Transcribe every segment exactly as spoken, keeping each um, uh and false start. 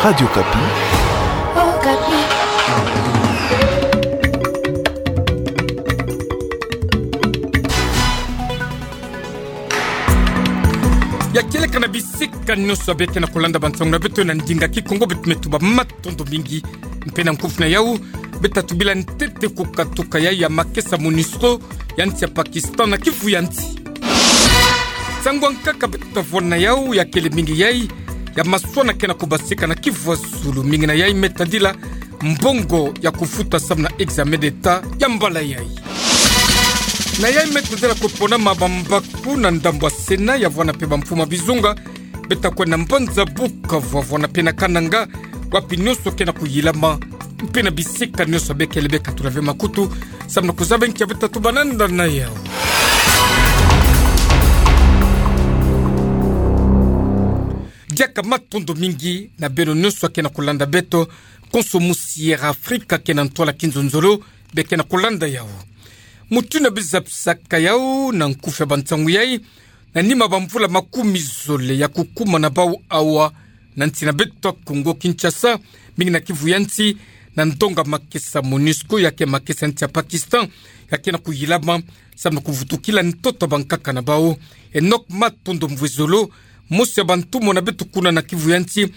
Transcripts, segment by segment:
Radio Okapi. Ya kieleka na bisika nyonso ya beke na kolanda bansangu na beto na ndinga Kikongo, beto me tuba matondo mingi. Mpe na nkufi na yau, beta tubila ntete kukatuka yai ya makesa MONUSCO ya nsi ya Pakistan na kivu ya nsi. Nsangu ya nkaka beta vwanda na yau ya kele mingi yai ya maswana ke na kubasika na kivu ya zulu, mingi na yai me tadila mbongo ya kufuta samu na examen d'État ya mbala yai. Na yai me tadila kuponama bambaku na ndambu ya Sénat ya vwanda mpe bamfumu ya bizunga, beta kwenda mbanza Bukavu, vwanda mpe na Kananga, wapi nyonso ke na kuyilama. Mpe na bisika nyonso ya beke le beka tula ve makutu samu na kuzaba nki ya beta tuba nanda na yau. Diaka matondo mingi na beno nyonso ya ke na kolanda beto, konso musi ya Afrika ke na ntwala kinzonzolo, beke na kolanda yau. Mutindu na bizabisaka yau na nkufi ya bansangu yai, na nima bamvula makumi zole ya kukuma na bau awa na nsi na beto ya Kongo Kinshasa, mingi na kivu ya nsi, na ndonga makesa MONUSCO ya ke makesa nsi ya Pakistan, ya ke na kuyilama samu na kuvutukila ntoto ya bankaka na bau. Enoch Matondo Mvwezolo, mosi ya bantumwa na beto kuna na kivu ya nsi,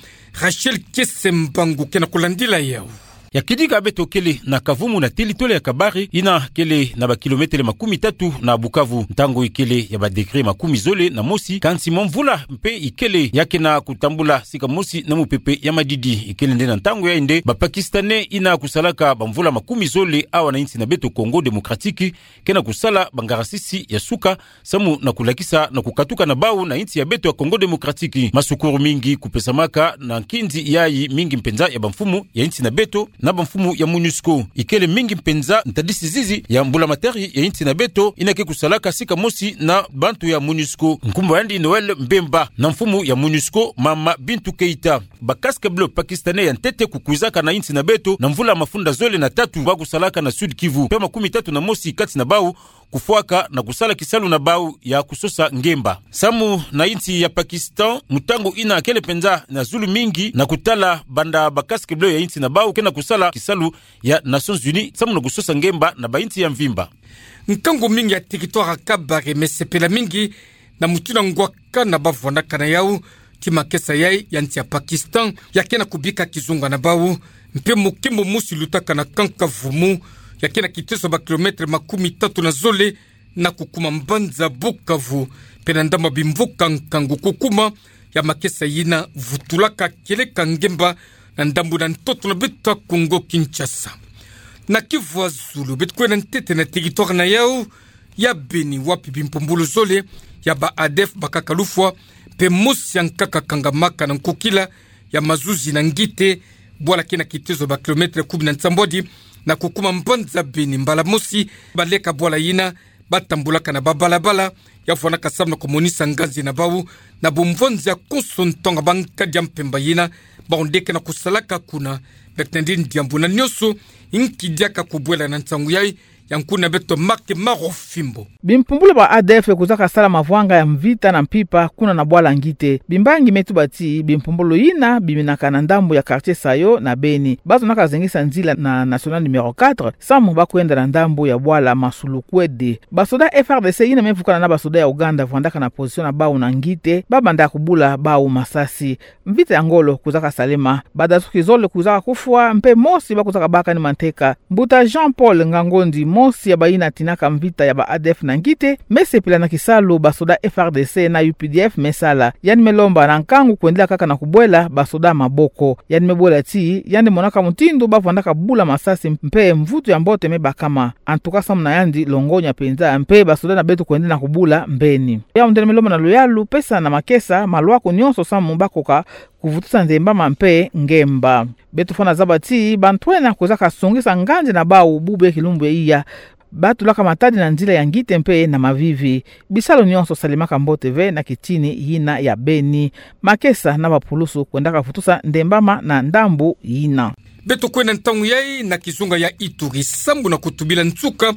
Rachel Kiese Mbangu ke na kulandila yau. Ya kidika beto kele na Kavumu na territoire ya Kabare, yina kele na ba kilomètre makumi tatu na Bukavu. Ntangu ikele ya ba degré makumi zole na mosi, kansi mwa mvula mpe ikele ya ke na kutambula sika mosi na mupepe ya madidi. Ikele nde na ntangu yai nde ba Pakistanais yina kusalaka bamvula makumi zole awa na insi na beto Congo Démocratique, ke na kusala bangarasisi ya suka, samu na kulakisa na kukatuka na bau na insi ya beto ya Congo Démocratique. Masukuru mingi kupesamaka na nkinzi yai mingi mpenza ya bamfumu ya insi na beto na bamfumu ya MONUSCO. Ikele mingi mpenza ntadisi zizi ya mbulamatari ya insi na beto yina ke kusalaka sika mosi na bantu ya MONUSCO. Nkumbu yandi Noël Mbemba, na mfumu ya MONUSCO, mama Bintou Keita. Ba casques bleus pakistanais ya ntete kukwizaka na insi na beto na mvula mafunda zole na tatu, ba kusalaka na Sud-Kivu. Mpe makumi tatu na mosi kati na bau kufwaka na kusala kisalu na bau ya kusosa ngemba. Samu na insi ya Pakistan, mutangu yina kele mpenza na zulu mingi na kutala banda ba casques bleus ya insi na bau ke na kusala kisalu ya Nations Unies, samu na kusosa ngemba na bainsi ya mvimba. Nkangu mingi ya territoire ya Kabare me sepela mingi na mutindu na ngwakana ba vwandaka na yau, ti makesa yai ya nsi ya Pakistan, ya ke na kubika kizunga na bau, mpe mokembo mosi lutaka na Kankavumu, ya ke na kitezo ba kilomètre makumi tatu na zole, na kukuma mbanza Bukavu, mpe na ndambu ya bimvuka nkangu kukuma, ya makesa yina vutulaka kieleka ngemba na ndambu na ntoto na beto ya Congo Kinshasa. Na kivu ya zulu, beto kwenda ntete na territoire na yau ya Beni, wapi bimpumbulu zole ya ba ADF bakaka lufwa, mpe mosi ya nkaka kangamaka na nkokila ya mazuzi na Ngite, bwala ke na kitezo ba kilomètre kumi na nsambwadi, na kukuma mbanza Beni. Mbala mosi baleka bwala yina, batambulaka na babalabala, ya vwandaka samu na kumonisa nganzi na bau na bumvonzi ya konso ntonga ba nkadi ya mpemba yina, bau nde ke na kusalaka kuna. Beto nandi diambu na nyonso, nki diaka kubwela na nsangu yai, ya nkuna beto Marc Marofimbo. Bimpumbulu ba ADF kwizaka sala mavwanga ya mvita na mpimpa kuna na bwala Ngite. Bimbangi me tuba ti bimpumbulu yina biminaka na ndambu ya quartier Sayo na Beni. Bazonaka zengisa nzila na nationale numéro quatre, samu ba kwenda na ndambu ya bwala Masulukwede. Basoda F R D C yina me vukana na basoda ya Ouganda vwandaka na position na bau na Ngite, ba banda kubula bau masasi. Mvita ya ngolo kwizaka salema. Badasuki zole kwizaka kufwa, mpe mosi ba kwizaka baka ni manteka. Mbuta Jean Paul Ngangondi, mosi ya bayina tinaka mvita ya ba ADF na Ngite, me sepela na kisalu basoda F R D C na U P D F me sala. Yandi me lomba na nkangu kwendela kaka na kubwela basoda maboko. Yandi me bwela ti yandi monaka mutindu ba vwandaka bula masasi mpe mvutu ya mbote me bakama. En tout cas, samu na yandi longonya mpenza, mpe basoda na beto kwenda na kubula mbeni. Yau nde me lomba na luyalu, pesa na makesa malwaku nyonso samu ba koka kuvutusa nzembama mpe ngemba. Beto fwana zaba ti bantwenia kwizaka songisa nganzi na bau bubu ya kilumbu ya iya. Ba tulaka matadi na nzila ya Ngite mpe na Mavivi. Bisalu nyonso salemaka mbote ve na kitini yina ya Beni. Makesa na bapulusu kwendaka vutusa nzembama na ndambu yina. Beto kwenda ntangu yai na kizunga ya Ituri, samu na kutubila nsuka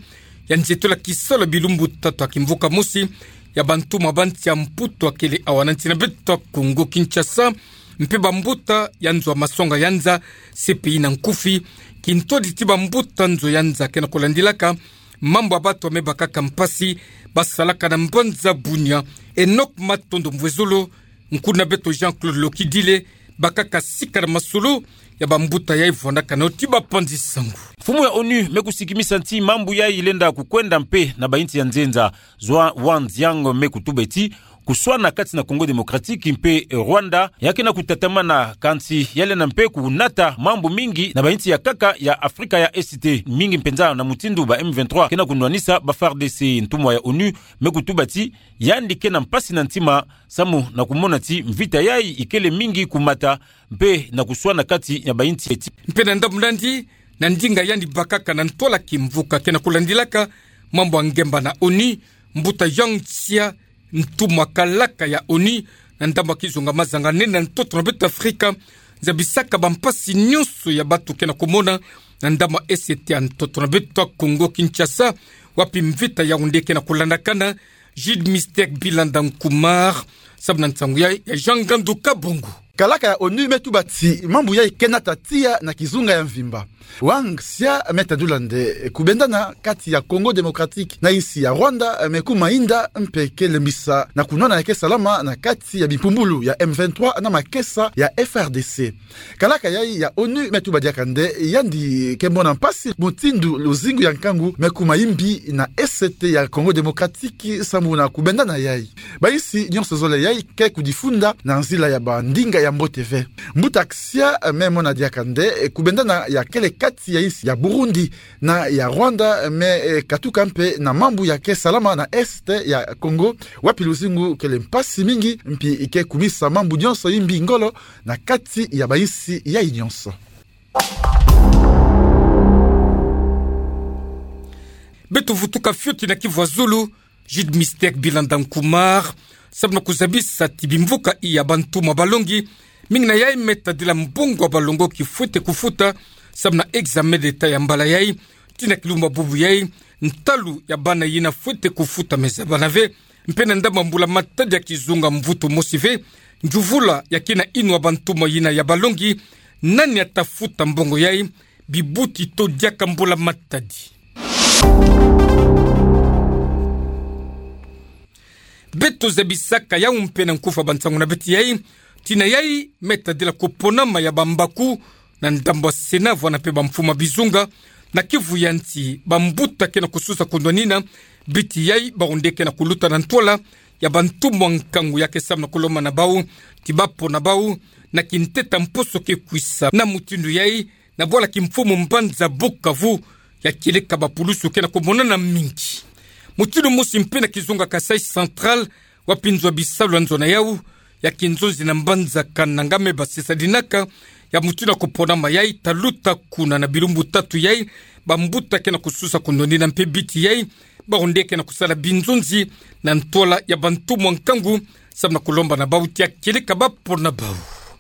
ya nzietolo ya kisalu ya bilumbu tatu ya kimvuka mosi ya bantumwa ba nsi ya Mputu ya kele awa na nsi na beto ya Congo Kinshasa, mpe bambuta ya nzo ya masonga ya nza, C P I na nkufi, kintwadi ti bambuta nzo ya nza ke na kulandilaka mambu ya batu ya mebakaka mpasi, basalaka na mbanza Bunia. Enoch Matondo Mvwezolo, nkuna beto Jean-Claude Lokidile, bakaka sika na masolo ya bambuta yayi vwandaka nao ti bapanzi sangu. Mfumu ya onu me kusikimisa ti mambu yayi lenda kukwenda mpe na bainsi ya nzenza. Zhuang Wanzhang me kutuba ti kuswana kati na Congo Démocratique mpe Rwanda ya ke na kutatamana, kansi ya lenda mpe kunata mambu mingi na bainsi ya nkaka ya Afrika ya Est, mingi mpenza na mutindu ba M vingt-trois ke na kunwanisa ba F A R D C. Ntumwa ya onu me kutuba ti yandi ke na mpasi na ntima samu na kumona ti mvita yayi ikele mingi kumata mpe na kuswana kati ya bainsi eti. Mpe na ndambu nandi, na ndinga yandi bakaka na ntwala kimvuka ke na kulandilaka mambu ya ngemba na onu, mbuta Yang Jiechi, ntumwa kalaka ya onu, na ndambu ya kizunga mazanga nene na ntoto na beto Afrika, zabisaka bampasi nyonso ya batu ke na kumona na ndambu ya Est ya ntoto na beto Congo Kinshasa, wapi mvita yawu nde ke na kulandakana. Jude Mystère Bilanda Nkumar, samu na nsangu yayi ya Jean Ngandu Kabongo. Kalaka ya onu me tuba ti mambu yayi ke nata tiya na kizunga ya mvimba. Wang Xia me tadula nde kubendana kati ya Congo Démocratique na insi ya Rwanda me kuma inda mpe ke lembisa na kunwana ya ke salama na kati ya bimpumbulu ya M vingt-trois na makesa ya F A R D C. Kalaka yayi ya onu me tuba diaka nde yandi ke mona mpasi mutindu luzingu ya nkangu me kuma imbi na Est ya Congo Démocratique samu na kubendana yayi. Bainsi nyonso zole yayi ke kudifunda na nzila ya bandinga ya mbote ve. Mbuta Xia me mona diaka nde kubendana ya kele kati ya insi ya Burundi na ya Rwanda me, eh, katuka mpe na mambu ya ke salama na Est ya Congo, wapi luzingu kele mpasi mingi, mpi ke kumisa mambu nyonso imbi ngolo na kati ya bainsi yayi nyonso. Beto vutuka fioti na Kivu ya Zulu, Jude Mystère Bilanda Nkumar, samu na kuzabisa ti bimvuka ya bantumwa balongi, mingi na yayi me tadila mbongo ya balongoki fwete kufuta, samu na examen d'État ya mbala yayi, tii na kilumbu bubu yayi, ntalu ya bana yina fwete kufuta me zabana ve, mpe na ndambu ya mbula matadi ya kizunga mvutu mosi ve, njuvula ya kina inwa bantumwa yina ya balongi, nani ata futa mbongo yayi, bibuti to diaka mbula matadi. Beto zabisaka yawu mpe na nkufa bansangu na beto yayi, tii na yayi me tadila kuponama ya bambaku na ndambu ya Sénat vwanda mpe bamfumu ya bizunga, na Kivu ya nsi, bambuta ke na kususa kunwanina biti yayi, bawu nde ke na kuluta na ntwala ya bantumwa nkangu ya ke samu na kulomba na bawu ti bapona bawu na kinteta mposo ke kwisa. Na mutindu yayi, na bwala kimfumu mbanza Bukavu, ya kieleka bapulusu ke na kumonana mingi. Mutindu mosi mpe na kizunga Kasaï Central, wapi nzo ya bisalu ya nzona yawu ya kinzonzi na mbanza Kananga me basisa dinaka, ya mutindu ya kuponama yayi, taluta kuna na bilumbu tatu yayi, bambuta ke na kususa kunwanina mpe biti yayi, bawu nde ke na kusala binzonzi na ntwala ya bantumwa nkangu, samu na kulomba na bawu ti ya kieleka bapona bawu.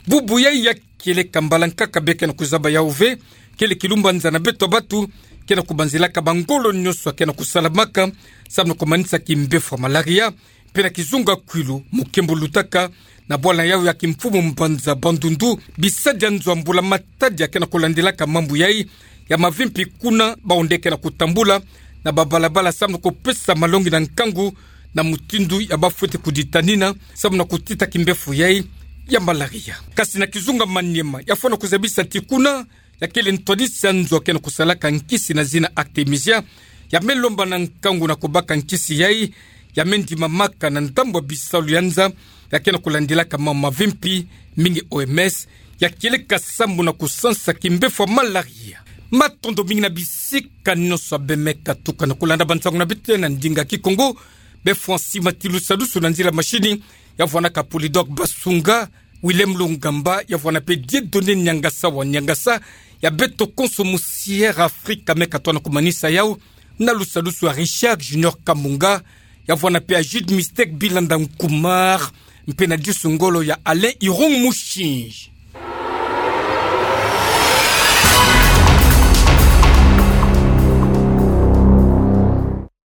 Bubu yayi ya kieleka mbala nkaka bê ke na kuzaba yawu ve, kele kilumbanza na beto batu ke na kubanzilaka bangolo nyonso ya ke na kusalamaka, samu na kumanisa kimbefo ya malaria, mpe na kizunga Kwilu, mukembo lutaka na bwala yawu ya kimfumu mbanza Bandundu, bisadi ya nzo ya mbula matadi ya ke na kulandilaka mambu yayi, ya mavimpi kuna, bawu nde ke na kutambula na babalabala samu na kupesa malongi na nkangu na mutindu ya bafwete kuditanina, samu na kutita kimbefo yayi ya malaria. Kasi na kizunga Maniema, ya fwana kuzabisa ti kuna, ya kele ntwadisi ya nzo ya ke na kusalaka nkisi na zina Artemisia, ya me lomba na nkangu na kubaka nkisi yayi, ya me ndimamaka na ndambu ya bisalu ya nza ya ke na kulandilaka mambu mavimpi mingi, O M S, ya kieleka samu na kusansa kimbefo ya malaria. Matondo mingi na bisika nyonso bê me katuka na kulanda bansangu na beto na ndinga Kikongo, bê fwansi mati lusadusu na nzila machine, ya vwanaka Polydor Basunga, Willem Lungamba, ya vwana mpe Dieudonné Niangasa wa Niangasa, ya beto konso musiere Afrika me katwa na kumanisa yawu, na lusadusu ya Richard Junior Kamunga, ya vwana mpe ya Jude Mystère Bilanda Nkumar, mpe na disu ngolo ya Alain Irung Mushinji.